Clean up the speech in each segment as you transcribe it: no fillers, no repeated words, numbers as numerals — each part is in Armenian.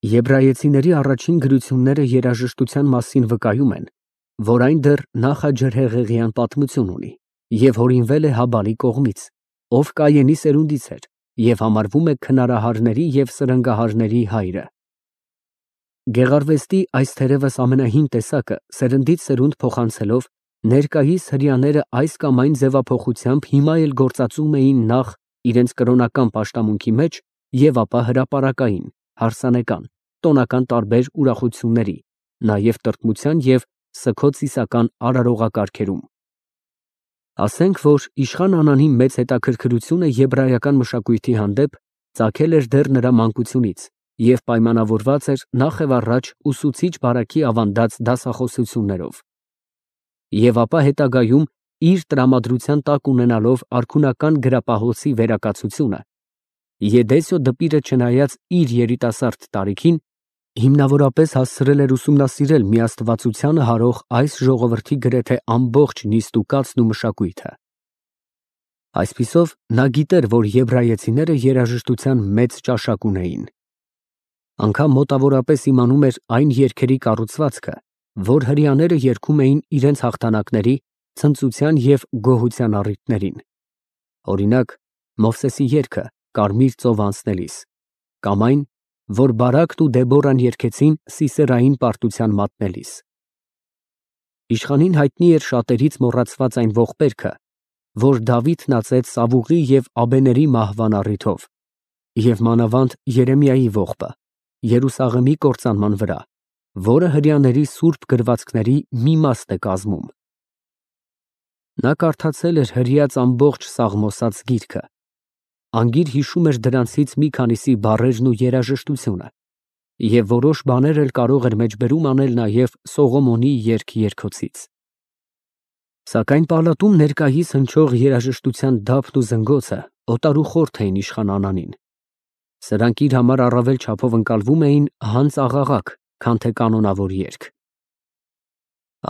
Եբրայեցիների առաջին գրությունները երաժշտության մասին վկայում են, որ այն դեռ նախաջրհեղեղյան պատմություն ունի և հորինվել է Հաբալի կողմից, ով Կայենի սերունդից էր և համարվում է քնարահարների և սրընգահարների հայրը։ Գեղարվեստի այս թերևս ամենահին տեսակը սերնդից սերունդ փոխանցելով ներկայիս հրեաները այս կամ այն ձևափոխությամբ հիմա էլ գործածում էին նախ իրենց կրոնական պաշտամունքի մեջ և ապա հրապարակային, հարսանեկան, տոնական տարբեր ուրախությունների, նաև տրտմության և սգո-ծիսական արարողակարգերում։ Ասենք, որ իշխան Անանի մեծ հետաքրքրությունը եբրայական մշակույթի հանդեպ ծագել էր դեռ նրա մանկությունից և պայմանավորված էր նախ և առաջ ուսուցիչ բարաքի ավանդած դասախոսություններով, և ապա հետագայում իր տրամադրության տակ ունենալով արքունական գրապահոցի վերակացությունը, Եդեսիո դպիրը չնայած իր երիտասարդ տարիքին, հիմնավորապես հասցրել էր ուսումնասիրել միաստվածությանը հարող այս ժողովրդի գրեթե ամբողջ նիստուկացն ու մշակույթը։ Այսպիսով, նա գիտեր, որ եբրայեցիները երաժշտության մեծ ճաշակ ունեին։ Անգամ մոտավորապես իմանում էր այն երգերի կառուցվածքը, որ հրեաները երգում էին իրենց հաղթանակների, ցնծության և գոհության առիթներին, օրինակ, Մովսեսի երգը Կարմիր ծով անցնելիս, կամ այն, որ Բարաքն ու Դեբորան երգեցին Սիսերային պարտության մատնելիս։ Իշխանին հայտնի էր շատերից մոռացված այն ողբերգը, որ Դավիթն ածեց Սավուղի և Աբեների մահվան առիթով, և մանավանդ Երեմիայի ողբը Երուսաղեմի կործանման վրա, որը հրեաների սուրբ գրվածքների մի մասն է կազմում։ Նա կարդացել էր հրեած ամբողջ Սաղմոսաց գիրքը, անգիր հիշում էր դրանցից մի քանիսի բառերն ու երաժշտությունը, և որոշ բաներ էլ կարող էր մեջբերում անել նաև Սողոմոնի երգ֊երգոցից։ Սակայն պալատում ներկայիս հնչող երաժշտության դափն ու զնգոցը օտարուխորթ էին իշխան Անանին։ Սրանք իր համար առավել չափով ընկալվում էին հանց աղաղակ, քան թե կանոնավոր երգ։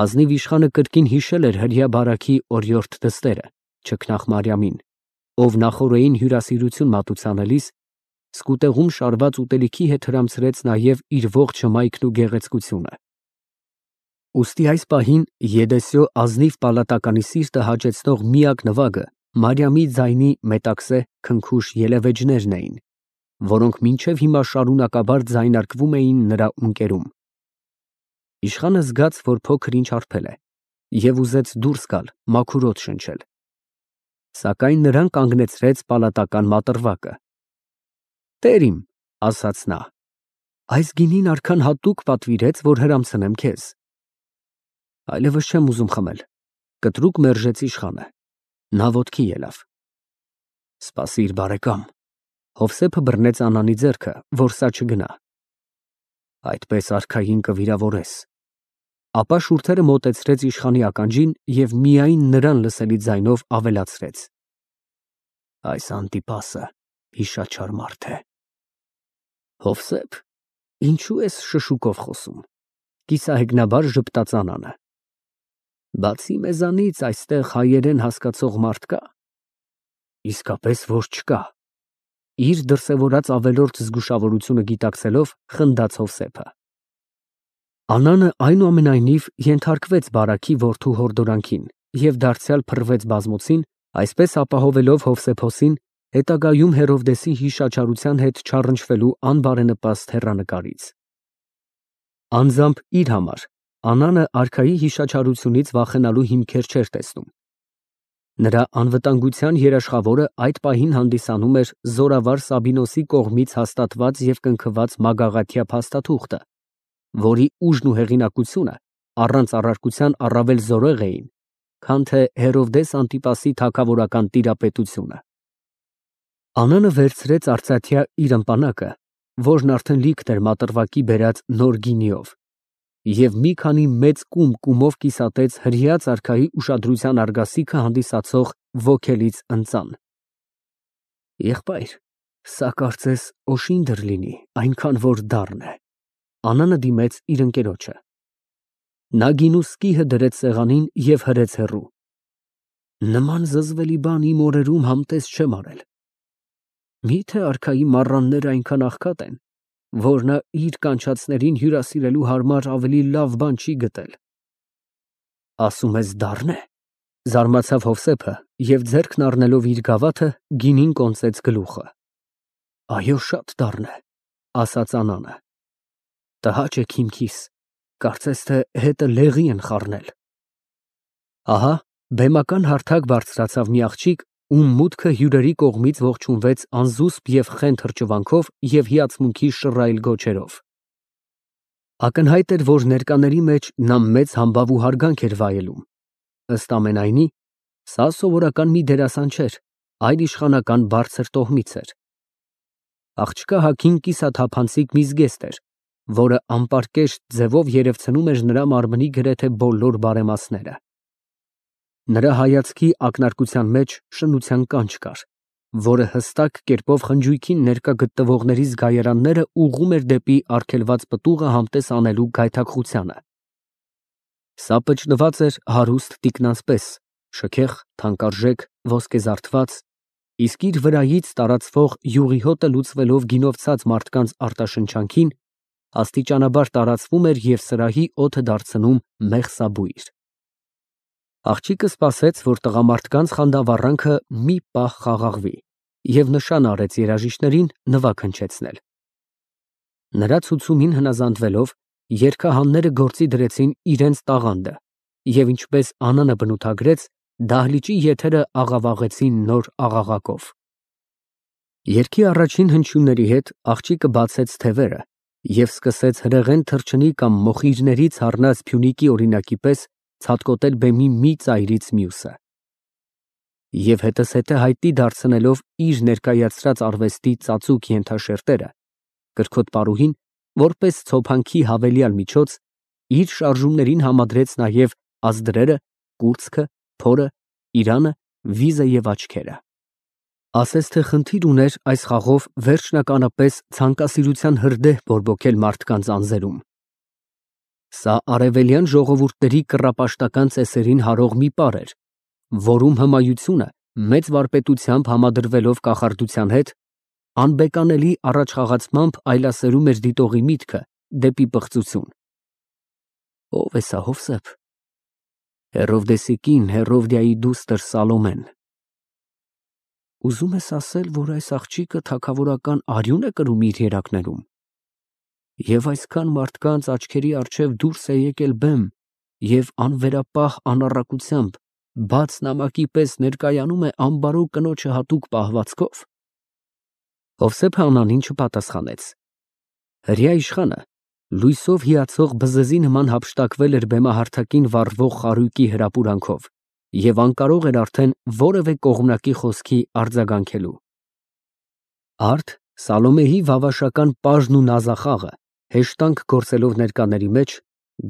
Ազնիվ իշխանը կրկին հիշել էր հրեա բարաքի օրիորդ դստերը, չքնաղ Մարիամին, ով նախօրեին հյուրասիրություն մատուցանելիս սկուտեղում շարված ուտելիքի հետ հրամցրեց նաև իր ողջ հմայքն ու գեղեցկությունը։ Ուստի այս պահին Եդեսիո ազնիվ պալատականի սիրտը հաճեցնող միակ նվագը Մարիամի ձայնի մետաքսե քնքուշ ելևէջներն էին, որոնք մինչև հիմա շարունակաբար ձայնարկվում էին նրա ունկերում։ Իշխանը զգաց, որ փոքր ինչ հարբել է, և ուզեց դուրս գալ, մաքուր օդ շնչել, սակայն նրան կանգնեցրեց պալատական մատրվակը։ «Տեր իմ, ֊ ասաց նա, ֊ այս գինին արքան հատուկ պատվիրեց, որ հրամցնեմ քեզ»։ Այլևս չեմ ուզում խմել, ֊ կտրուկ մերժեց իշխանը։ Նա ոտքի ելավ։ Սպասիր, բարեկամ։ Հովսեփը բռնեց Անանի ձեռքը, որ սա չգնա։ Այդպես արքային կվիրավորես։ Ապա շուրթերը մոտեցրեց իշխանի ականջին և միայն նրան լսելի ձայնով ավելացրեց. Այս Անտիպասը հիշաչար մարդ է։ Հովսեփ, ինչու ես շշուկով խոսում, կիսահեգնաբար ժպտաց Անանը։ Բացի մեզանից այստեղ հայերեն հասկացող մարդ կա։ Իսկապես որ չկա։ Իր դրսևորած ավելորդ զգուշավորությունը գիտակցելով խնդաց Հովսեփը։ Անանը այնուամենայնիվ ենթարկվեց բարաքի որդու հորդորանքին և դարձյալ փռվեց բազմոցին, այսպես ապահովելով Հովսեփոսին հետագայում Հերովդեսի հիշաչարության հետ չառընչվելու անբարենպաստ հեռանկարից։ Անձամբ իր համար Անանը արքայի հիշաչարությունից վախենալու հիմքեր չէր տեսնում։ Նրա անվտանգության երաշխավորը այդ պահին հանդիսանում էր զորավար Սաբինոսի կողմից հաստատված և կնքված մագաղաթյա փաստաթուղթը, որի ուժն ու հեղինակությունը առանց առարկության առավել զորեղ էին, քան թե Հերովդես Անտիպասի թագավորական տիրապետությունը։ Անանը վերցրեց արծաթյա իր ըմպանակը, որն արդեն լիքն էր մատրվակի բերած նոր գինիով, և մի քանի մեծ կումով կիսատեց հրեած արքայի ուշադրության արգասիքը հանդիսացող ոգելից ընծան։ Եղբայր, սա կարծես օշինդր լինի, այնքան որ դառն է։ Անանը դիմեց իր ընկերոջը։ Նա գինու սկիհը դրեց սեղանին և հրեց հեռու։ Նման զզվելի բան իմ օրերում համտես չեմ արել։ Մի՞թե արքայի մառանները այնքան աղքատ են, որ նա իր կանչածներին հյուրասիրելու համար ավելի լավ բան չի գտել։ Ասում ես դառն է, զարմացավ Հովսեփը և ձեռքն առնելով իր գավաթը գինին կոնծեց գլուխը։ Այո, շատ դառն է, ասաց Անանը։ Տհաճ է քիմքիս, կարծես թե հետը լեղի են խառնել։ Ահա բեմական հարթակ բարձրացավ մի աղջիկ, ում մուտքը հյուրերի կողմից ողջունվեց անզուսպ և խենթ հրճվանքով և հիացմունքի շռայլ գոչերով։ Ակնհայտ էր, որ ներկաների մեջ նա մեծ համբավ ու հարգանք էր վայելում։ Ըստ ամենայնի, սա սովորական մի դերասան չէր, այլ իշխանական բարձր տոհմից էր։ Աղջկա հագին կիսաթափանցիկ մի զգեստ էր, որը անպարկեշտ ձևով երևցնում էր նրա մարմնի գրեթե բոլոր բարեմասները։ Նրա հայացքի ակնարկության մեջ շնության կանչ կար, որը հստակ կերպով խնջույքին ներկա գտնվողների զգայարանները ուղղում էր դեպի արգելված պտուղը համտես անելու գայթակղությանը։ Սա պճնված էր հարուստ տիկնանց պես, շքեղ, թանկարժեք, ոսկեզարդված, իսկ իր վրայից տարածվող յուղի հոտը լուծվելով գինով ցած մարդկանց արտաշնչանքին, աստիճանաբար տարածվում էր և սրահի օդը դարձնում մեղսաբույր։ Աղջիկը սպասեց, որ տղամարդկանց խանդավառանքը մի պահ խաղաղվի և նշան արեց երաժիշտներին նվագ հնչեցնել։ Նրա ցուցումին հնազանդվելով, երգահանները գործի դրեցին իրենց տաղանդը և ինչպես Անանը բնութագրեց, դահլիճի եթերը աղավաղեցին նոր աղաղակով։ Երգի առաջին հնչյունների հետ աղջիկը բացեց թևերը և սկսեց հրեղեն թռչնի կամ մոխիրներից առնած փյունիկի օրինակի պես ցատկոտել բեմի մի ծայրից մյուսը։ Եվ հետզհետե հայտնի դարձնելով իր ներկայացրած արվեստի ծածուկ ենթաշերտերը, կրքոտ պարուհին, որպես ցոփանքի հավելյալ միջոց, իր շարժումներին համադրեց նաև ազդրերը, կուրծքը, փորը, իրանը, վիզը և աչքերը։ Ասես թե խնդիր ուներ այս խաղով վերջնականապես ցանկասիրության հրդեհ բորբոքել մարդկանց անձերում։ Սա արևելյան ժողովուրդների կռապաշտական ծեսերին հարող մի պար էր, որում հմայությունը մեծ վարպետությամբ համադրվելով կախարդության հետ, անբեկանելի առաջխաղացմամբ այլասերում էր դիտողի միտքը դեպի պղծություն։ Ո՞վ է սա, Հովսեփ։ Հերովդեսի կին, Հերովդիայի դուստր Սալոմեն։ Ուզում ես ասել, որ այս աղջիկը թագավորական արյուն է կրում իր երակներում։ Եվ այսքան մարդկանց աչքերի առջև դուրս է եկել բեմ և անվերապահ անառակությամբ բաց նամակի պես ներկայանում է ամբարոյ կնոջը հատուկ պահվածքով։ Հովսեփը Անանին չպատասխանեց։ Հրեա իշխանը լույսով հիացող բզզի նման հափշտակվել էր բեմահարթակին վառվող խարույկի հրապուրանքով և անկարող էր արդեն որևէ կողմնակի խոսքի արձագանքելու։ Արդ Սալոմեի վավաշական պաժն ու նազախաղը հեշտանք գործելով ներկաների մեջ,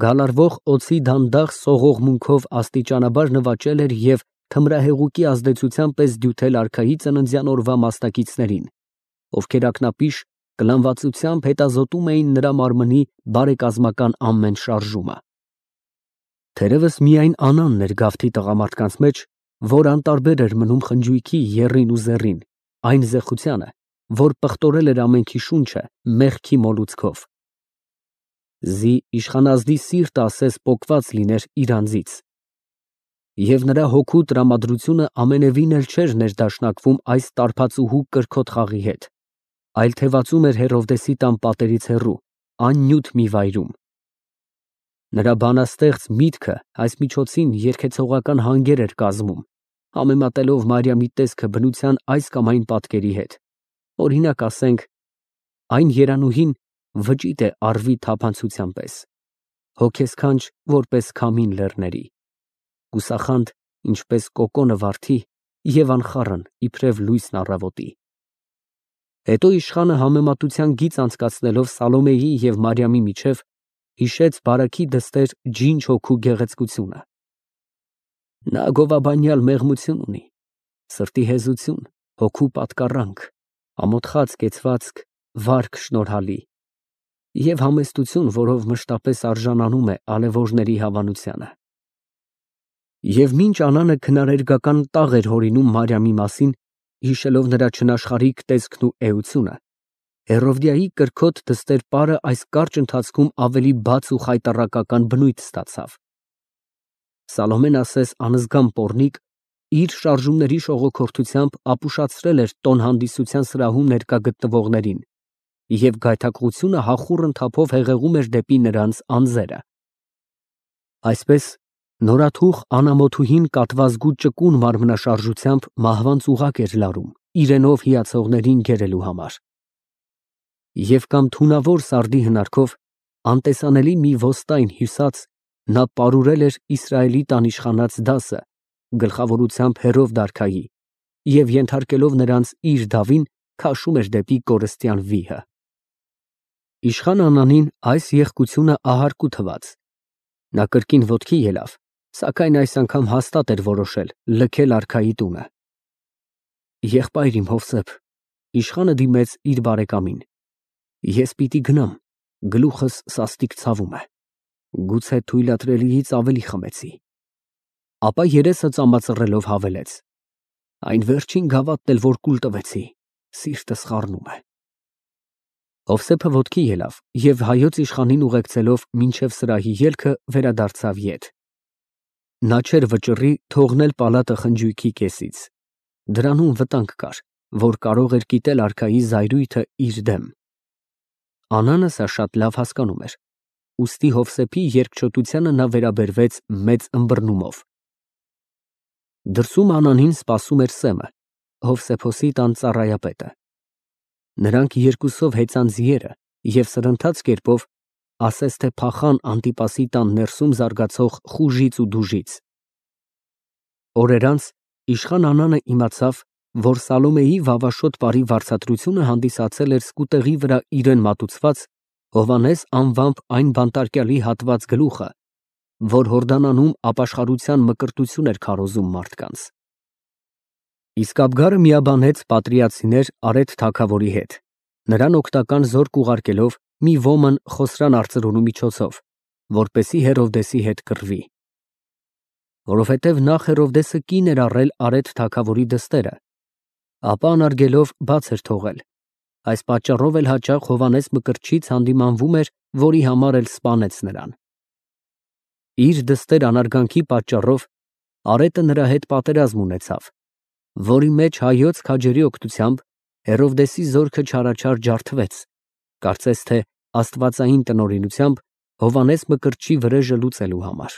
գալարվող օձի դանդաղ սողողմունքով աստիճանաբար նվաճել էր և թմրահեղուկի ազդեցության պես դյութել արքայի ծննդյան օրվա մասնակիցներին, ովքեր ակնապիշ կլանվածությամբ հետազոտում էին նրա մարմնի բարեկազմական ամեն շարժումը։ Թերևս միայն Անանն էր գավթի տղամարդկանց մեջ, որ անտարբեր էր մնում խնջույքի եռին ու զեռին, այն զեղչությանը, որ պղտորել էր ամենքի շունչը մեղքի մոլուցքով։ Զի իշխանազդի սիրտը ասես պոկված լիներ իր անձից։ Եվ նրա հոգու տրամադրությունը ամենևին էլ չէր ներդաշնակվում այս տարբացուհու կրքոտ խաղի հետ, այլ թևածում էր Հերովդեսի տան պատերից հեռու, աննյութ մի վայրում։ Նրա բանաստեղծ միտքը այս միջոցին երգեցողական հանգեր էր կազմում, համեմատելով Մարիամի տեսքը բնության այս կամ այն պատկերի հետ։ Օրինակ ասենք, այն երանուհին վճիտ է առվի թափանցության պես, հոգեսքանչ որպես քամին լեռների, գուսախանդ ինչպես կոկոնը վարդի և անխառն իբրև լույսն առավոտի։ Հետո իշխանը համեմատության գիծ անցկացնելով Սալոմեի և Մարիամի միջև հիշեց բարաքի դստեր ջինջ հոգու գեղեցկությունը։ Նա գովաբանյալ մեղմություն ունի, սրտի հեզություն, հոգու պատկառանք, ամոթխած կեցվածք, վարք շնորհալի և համեստություն, որով մշտապես արժանանում է ալեւորների հավանությանը։ Եվ մինչ Անանը քնարերգական տաղ էր հորինում Մարիամի մասին, հիշելով նրա չնաշխարհիկ տեսքն ու էությունը, Հերովդիայի կրքոտ դստեր պարը այս կարճ ընթացքում ավելի բաց ու խայտառակական բնույթ ստացավ։ Սալոմեն ասես անզգամ պոռնիկ իր շարժումների շողոքորթությամբ ապուշացրել էր տոն հանդիսության սրահում ներկա գտնվողներին, և գայթակղությունը հախուռն թափով հեղեղում էր դեպի նրանց անձերը։ Այսպես նորաթուխ անամոթուհին կատվազգու ճկուն մարմնաշարժությամբ մահվան ծուղակ էր լարում, իրենով հիացողներին գերելու համար։ Եվ կամ թունավոր սարդի հնարքով, անտեսանելի մի ոստայն հյուսած, նա պարուրել էր Իսրայելի տան իշխանած դասը, գլխավորությամբ Հերովդ֊արքայի, և ենթարկելով նրանց իր դավին, քաշում էր դեպի կորստյան վիհը։ Իշխան Անանին այս եղկությունը ահարկու թվաց։ Նա կրկին ոտքի ելավ, սակայն այս անգամ հաստատ էր որոշել լքել արքայի տունը։ Եղբայր իմ Հովսեփ, իշխանը դիմեց իր բարեկամին, ես պիտի գնամ, գլուխս սաստիկ ցավում է, գուցե թույլատրելիից ավելի խմեցի։ Ապա երեսը ծամածռելով հավելեց. այն վերջին գավաթն էլ որ կուլ տվեցի, սիրտս խառնում է։ Հովսեփը ոտքի ելավ և հայոց իշխանին ուղեկցելով մինչև սրահի ելքը վերադարձավ ետ։ Նա չէր վճռի թողնել պալատը խնջույքի կեսից։ Դրանում վտանգ կար, որ կարող էր կիտել արքայի զայրույթը իր դեմ։ Անանը սա շատ լավ հասկանում էր, ուստի Հովսեփի երկչոտությանը նա վերաբերվեց մեծ ըմբռնումով։ Դրսում Անանին սպասում էր Սեմը, Հովսեփոսի տան ծառայապետը։ Նրանք երկուսով հեծան ձիերը և սրընթաց կերպով, ասես թե փախան Անտիպասի տան ներսում զարգացող խուժից ու դուժից։ Օրեր անց իշխան Անանը իմացավ, որ Սալոմեի վավաշոտ պարի վարձատրությունը հանդիսացել էր սկուտեղի վրա իրեն մատուցված Հովհաննես անվամբ այն բանտարկյալի հատված գլուխը, որ Հորդանանում ապաշխարության մկրտություն էր քարոզում մարդկանց։ Իսկ Աբգարը միաբանեց պատրիացիներ Արեթ թագավորի հետ, նրան օգնական զորք ուղարկելով մի ոմն Խոսրան արծրունու միջոցով, որպեսզի Հերովդեսի հետ կռվի։ Որովհետև նախ Հերովդեսը կին էր առել Արեթ թագավորի դստերը, ապա անարգելով բաց էր թողել, այս պատճառով էլ հաճախ Հովհաննես Մկրտչից հանդիմանվում էր, որի համար էլ սպանեց նրան։ Իր դստեր անարգանքի պատճառով Արեթը նրա հետ պատերազմ ունեցավ, որի մեջ հայոց քաջերի օգնությամբ Հերովդեսի զորքը չարաչար ջարդվեց, կարծես թե աստվածային տնօրինությամբ Հովհաննես Մկրտչի վրեժը լուծելու համար։